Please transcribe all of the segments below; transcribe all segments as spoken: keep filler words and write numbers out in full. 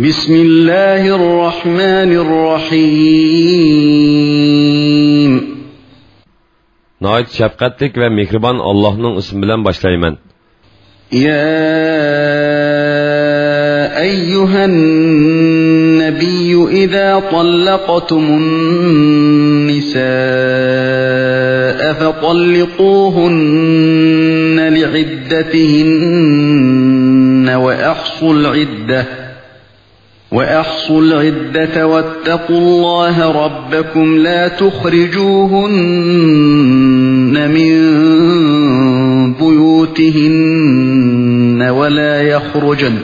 بسم الله الرحمن الرحيم. ناھايىتى شەپقەتلىك ۋە مېھرىبان ئاللاھنىڭ ئىسمى بىلەن باشلايمەن. يا أيها النبي إذا طلقتم النساء فطلقوهن لعدتهن وأحصوا العدة وأحصوا العدة واتقوا الله ربكم لا تخرجوهن من بيوتهن ولا يخرجن،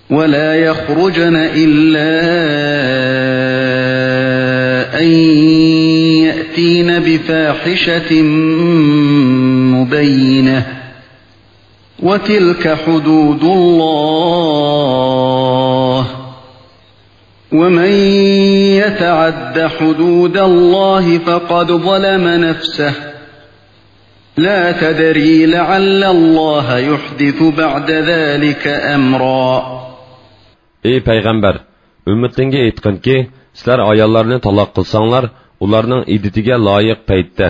ولا يخرجن إلا أن يأتين بفاحشة مبينة، وتلك حدود الله، ومن يتعد حدود الله فقد ظلم نفسه، لا تدري لعل الله يحدث بعد ذلك أمرا. ئەي پەيغەمبەر، ئۈممىتىڭگە ئېيتقىنكى، سىلەر ئاياللارنى تالاق قىلساڭلار، ئۇلارنىڭ ئىددىتىگە لايىق پەيتتە،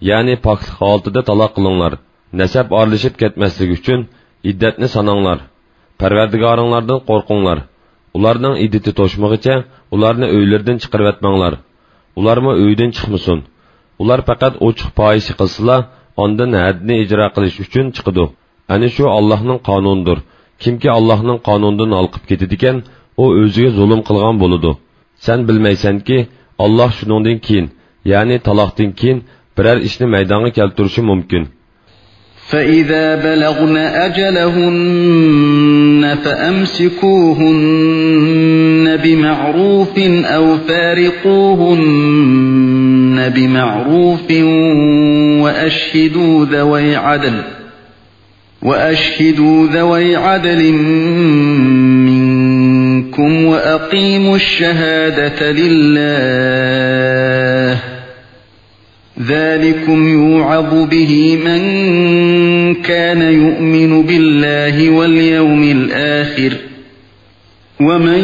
يەنى پاكلىق ھالىتىدە تالاق قىلىڭلار. نەسەب ئارىلىشىپ كەتمەسلىكى ئۈچۈن ئىددەتنى ساناڭلار. پەرۋەردىگارىڭلاردىن قورقۇڭلار. ئۇلارنىڭ ئىددىتى توشمىغىچە ئۇلارنى ئۆيلىرىدىن چىقىرىۋەتمەڭلار. ئۇلارمۇ ئۆيدىن چىقمىسۇن. ئۇلار پەقەت ئوچۇق پاھىشە قىلسىلا، ئاندىن ھەددىنى ئىجرا قىلىش ئۈچۈن چىقىدۇ. ئەنە شۇ ئاللاھنىڭ قانۇنىدۇر. كىمكى ئاللاھنىڭ قانۇنىدىن ھالقىپ كېتىدىكەن، ئۇ ئۆزىگە زۇلۇم قىلغان بولىدۇ. سەن بىلمەيسەنكى، ئاللاھ شۇنىڭدىن كېيىن، يەنى تالاقتىن كېيىن بىرەر ئىشنى مەيدانغا كەلتۈرۈشى مۇمكىن. فإذا بلغن أجلهن فأمسكوهن بمعروف أو فارقوهن بمعروف وأشهدوا ذوي عدل وأشهدوا ذوي عدل منكم وأقيموا الشهادة لله، ذلكم يوعظ به من كان يؤمن بالله واليوم الآخر، ومن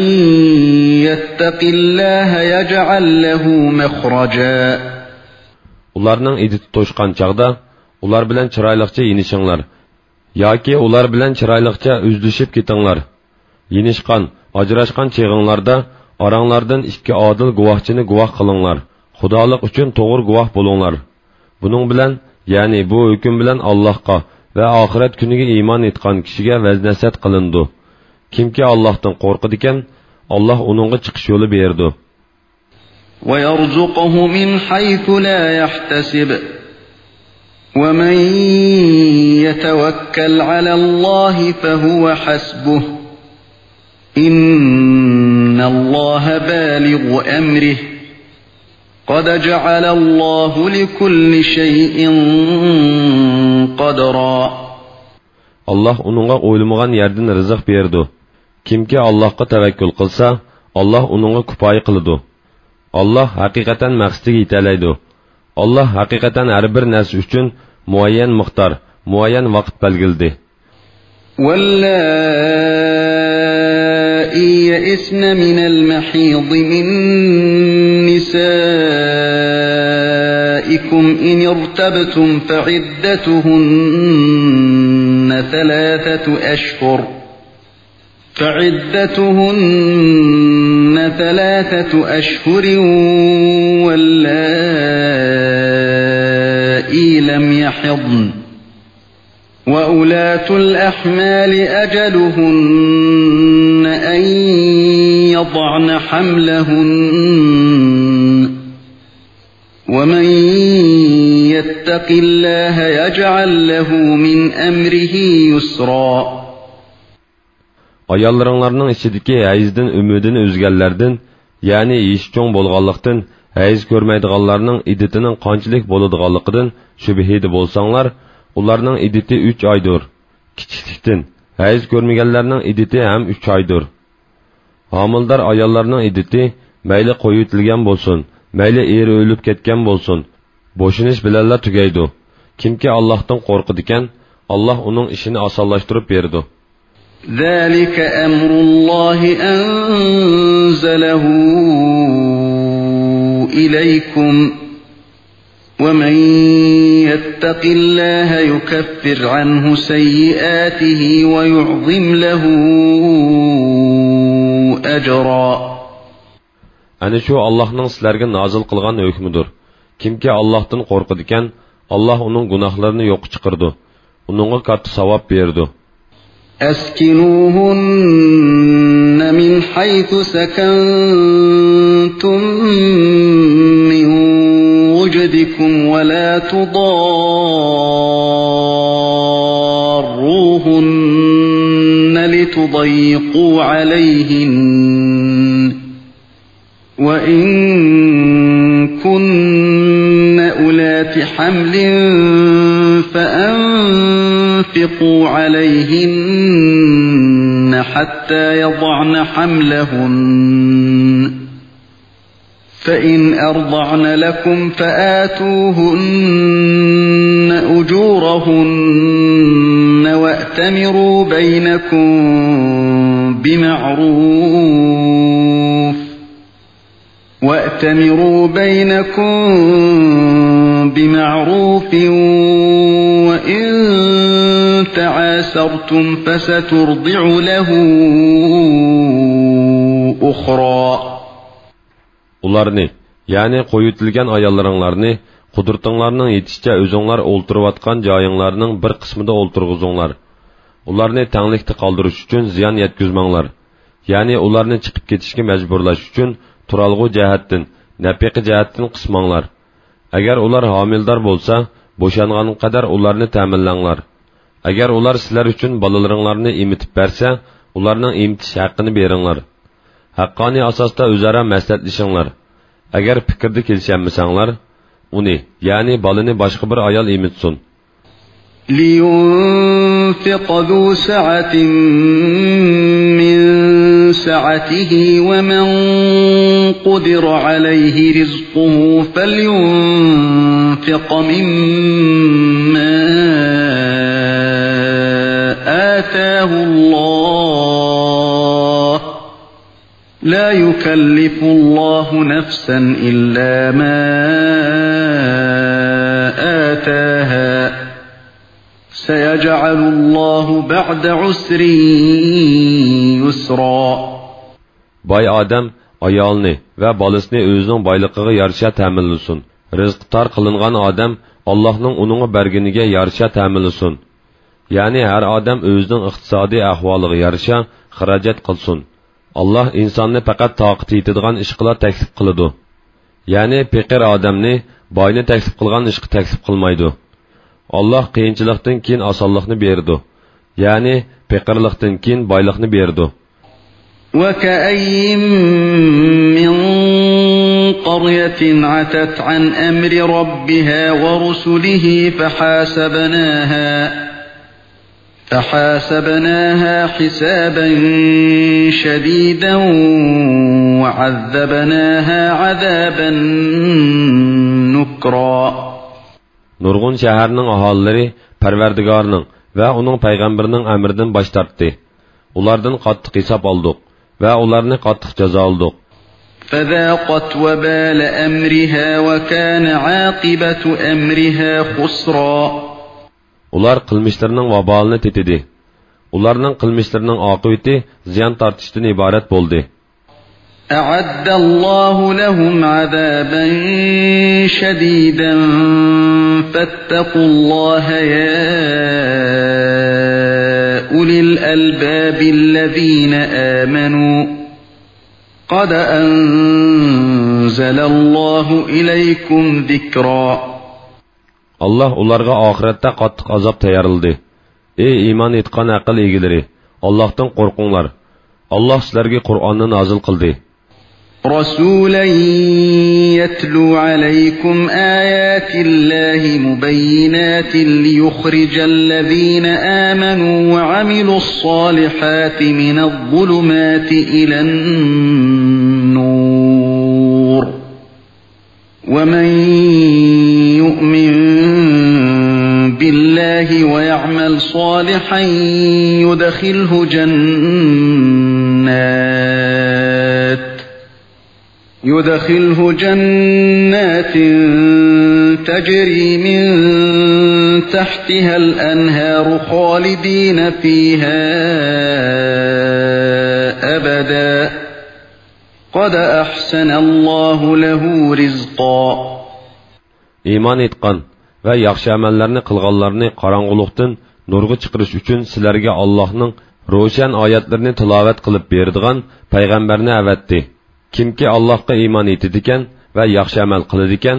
يتق الله يجعل له مخرجا. ئۇلارنىڭ ئىددىتى توشقان چاغدا ئۇلار بىلەن چىرايلىقچە يېنىشىڭلار. ياكى ئۇلار بىلەن چىرايلىقچە ئۈزلىشىپ كېتىڭلار. يېنىشقان، ئاجراشقان چېغىڭلاردا ئاراڭلاردىن ئىككى ئادىل گۇۋاھچىنى گۇۋاھ قىلىڭلار، خۇدالىق ئۈچۈن توغرا گۇۋاھ بولۇڭلار. بۇنىڭ بىلەن، يەنى بۇ ھۆكۈم بىلەن ئاللاھقا ۋە ئاخىرەت كۈنىگە ئىمان ئېيتقان كىشىگە ۋەز-نەسىھەت قىلىنىدۇ. كىمكى ئاللاھتىن قورقىدىكەن، ئاللاھ ئۇنىڭغا چىقىش يولى بېرىدۇ. ويرزقه من حيث لا يحتسب، ومن يتوكل على الله فهو حسبه، إن الله بالغ أمره، قد جعل الله لكل شيء قدرا. ئاللاھ ئۇنىڭغا ئويلىمىغان يەردىن رىزىق بېرىدۇ. كىمكى ئاللاھقا تەۋەككۈل قىلسا، ئاللاھ ئۇنىڭغا كۇپايە قىلىدۇ. ئاللاھ ھەقىقەتەن مەقسىتىگە يېتەلەيدۇ. ئاللاھ ھەقىقەتەن ھەر بىر نەرسە ئۈچۈن مۇئەييەن مىقدار، مۇئەييەن ۋاقىت بەلگىلىدى. واللائي يئسن من المحيض من نسائكم إن ارتبتم فعدتهن ثلاثة أشهر، فعدتهن ثلاثة أشهر واللائي لم يحضن، وأولاة الأحمال أجلهن أن يضعن حملهن، ومن يتق الله يجعل له من أمره يسرا. ئاياللىرىڭلارنىڭ ئىچىدىكى ھەيزدىن ئۈمىدىنى ئۈزگەنلەردىن، يەنى يېشى چوڭ بولغانلىقتىن، ھەيز كۆرمەيدىغانلارنىڭ ئىددىتىنىڭ قانچىلىك بولىدىغانلىقىدىن شۈبھىدە بولساڭلار، ئۇلارنىڭ ئىددىتى ئۈچ ئايدۇر. كىچىكلىكتىن، ھەيز كۆرمىگەنلەرنىڭ ئىددىتى ھەم ئۈچ ئايدۇر. ھامىلىدار ئاياللارنىڭ ئىددىتى مەيلى قويۇۋېتىلگەن بولسۇن، مەيلى ئېرى ئۆلۈپ كەتكەن بولسۇن، بوشىنىش بىلەنلا تۈگەيدۇ. كىمكى ئاللاھتىن قورقىدىكەن، ئاللاھ ئۇنىڭ ئىشىنى ئاسانلاشتۇرۇپ بېرىدۇ. ذلك أمر الله أنزله إليكم، ومن يتق الله يكفر عنه سيئاته ويعظم له أجرا. ئەنە شۇ ئاللاھنىڭ سىلەرگە نازىل قىلغان ھۆكمىدۇر. كىمكى ئاللاھتىن قورقىدىكەن، ئاللاھ ئۇنىڭ گۇناھلىرىنى يوققا چىقىرىدۇ، ئۇنىڭغا كاتتا ساۋاب بېرىدۇ. أسكنوهن من حيث سكنتم من وجدكم ولا تضاروهن لتضيقوا عليهن، وإن كن أولات حمل فأنفقوا عليهن حتى يضعن حملهن، فإن أرضعن لكم فآتوهن أجورهن وأتمروا بينكم بمعروف، وأتمروا بينكم بمعروف، وإن تعاسرتم فسترضع له أخرى. ئۇلارنى، يەنى قويۇۋېتىلگەن ئاياللىرىڭلارنى، قۇدرىتىڭلارنىڭ يېتىشىچە ئۆزۈڭلار ئولتۇرۇۋاتقان جايىڭلارنىڭ بىر قىسمىدا ئولتۇرغۇزۇڭلار. ئۇلارنى تەڭلىكتە قالدۇرۇش ئۈچۈن زىيان يەتكۈزمەڭلار. يەنى ئۇلارنى چىقىپ كېتىشكە مەجبۇرلاش ئۈچۈن تۇرالغۇ جەھەتتىن، نەپىقە جەھەتتىن قىسماڭلار. ئەگەر ئۇلار ھامىلىدار بولسا، بوشانغانغا قەدەر ئۇلارنى تەمىنلەڭلار. ئەگەر ئۇلار سىلەر ئۈچۈن بالىلىرىڭلارنى ئېمىتىپ بەرسە، ئۇلارنىڭ ئېمىتىش ھەققىنى بېرىڭلار. ھەققانىي ئاساستا ئۆزئارا مەسلىھەتلىشىڭلار. ئەگەر پىكىردە كېلىشەلمىسەڭلار، ئۇنى، يەنى بالىنى باشقا بىر ئايال ئېمىتسۇن. لينفق ذو سعة من سعته، ومن قدر عليه رزقه فلينفق مما آتاه الله، لا يكلف الله نفسا إلا ما آتاها، سيجعل الله بعد عسر يسرا. باي ئادەم ئايالىنى ۋە بالىسىنى ئۆزىنىڭ بايلىقىغا يارىشا تەمىنلىسۇن. رىزقى تار قىلىنغان ئادەم ئاللاھنىڭ ئۇنىڭغا بەرگىنىگە يارىشا تەمىنلىسۇن. يەنى ھەر ئادەم ئۆزىنىڭ ئىقتىسادىي ئەھۋالىغا يارىشا خىراجەت قىلسۇن. ئاللاھ ئىنساننى پەقەت تاقىتى يېتىدىغان ئىشقىلا تەكلىپ قىلىدۇ. يەنى پېقىر ئادەمنى باينى تەكلىپ قىلغان ئىشقا تەكلىپ قىلمايدۇ. ئاللاھ قىيىنچىلىقتىن كېيىن ئاسانلىقنى بېرىدۇ. يەنى پېقىرلىقتىن كېيىن بايلىقنى بېرىدۇ. وكأين من قرية عتت عن أمر ربها ورسله فحاسبناها، فحاسبناها حسابا شديدا وعذبناها عذابا نكرا. نۇرغۇن شەھەرنىڭ ئاھالىلىرى پەرۋەردىگارنىڭ ۋە ئۇنىڭ پەيغەمبىرىنىڭ ئەمرىدىن باش تارتتى. ئۇلاردىن قاتتىق ھېساب ئالدۇق ۋە ئۇلارنى قاتتىق جازالىدۇق. فذاقت وبال أمرها وكان عاقبة أمرها خسرا. ئۇلار قىلمىشلىرىنىڭ ۋابالىنى تېتىدى. ئۇلارنىڭ قىلمىشلىرىنىڭ ئاقىۋىتى زىيان تارتىشتىن ئىبارەت بولدى. أعد الله لهم عذابا شديدا فاتقوا الله يا أولي الألباب الذين آمنوا قد أنزل الله إليكم ذكرا. ئاللاھ ئۇلارغا ئاخىرەتتە قاتتىق ئازاب تەييارلىدى. ئەي ئىمان ئېيتقان ئەقىل ئىگىلىرى، ئاللاھتىن قورقۇڭلار. ئاللاھ سىلەرگە قۇرئاننى نازىل قىلدى. رسولا يتلو عليكم آيات الله مبينات ليخرج الذين آمنوا وعملوا الصالحات من الظلمات إلى النور، ومن يؤمن بالله ويعمل صالحا يدخله جنات، يدخله جنات تجري من تحتها الأنهار خالدين فيها أبدا، قد أحسن الله له رزقا. ئىمان ئېيتقان ۋە ياخشى ئەمەللەرنى قىلغانلارنى قاراڭغۇلۇقتىن نۇرغا چىقىرىش ئۈچۈن سىلەرگە ئاللاھنىڭ روشەن ئايەتلىرىنى تىلاۋەت قىلىپ بېرىدىغان پەيغەمبەرنى ئەۋەتتى. كىمكى ئاللاھقا ئىمان ئېيتىدىكەن ۋە ياخشى ئەمەل قىلىدىكەن،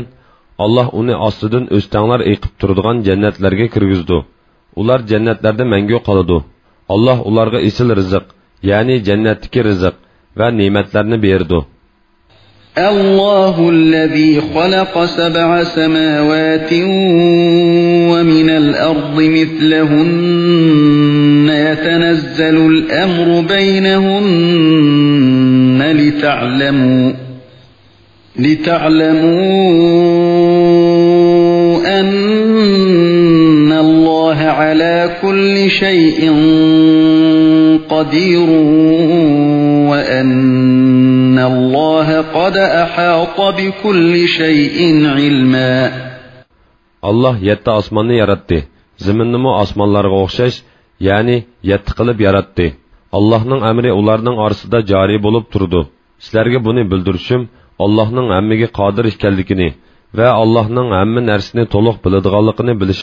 ئاللاھ ئۇنى ئاستىدىن ئۆستەڭلار ئېقىپ تۇرىدىغان جەننەتلەرگە كىرگۈزىدۇ. ئۇلار جەننەتلەردە مەڭگۈ قالىدۇ. ئاللاھ ئۇلارغا ئېسىل رىزىق، يەنى جەننەتتىكى رىزىق ۋە نېمەتلەرنى بېرىدۇ. الله الذي خلق سبع سماوات ومن الأرض مثلهن يتنزل الأمر بينهن لتعلموا، لتعلموا أن الله على كل شيء قدير وأن الله قد أحاط بكل شيء علما. ئاللاھ يەتتە ئاسماننى ياراتتى. زېمىننىمۇ ئاسمانلارغا ئوخشاش، يەنى يەتتە قىلىپ ياراتتى. ئاللاھنىڭ ئەمرى ئۇلارنىڭ ئارىسىدا جارى بولۇپ تۇرىدۇ. سىلەرگە بۇنى بىلدۈرۈشۈم ئاللاھنىڭ ھەممىگە قادىر ئىكەنلىكىنى ۋە ئاللاھنىڭ ھەممە نەرسىنى تولۇق بىلىدىغانلىقىنى بىلىش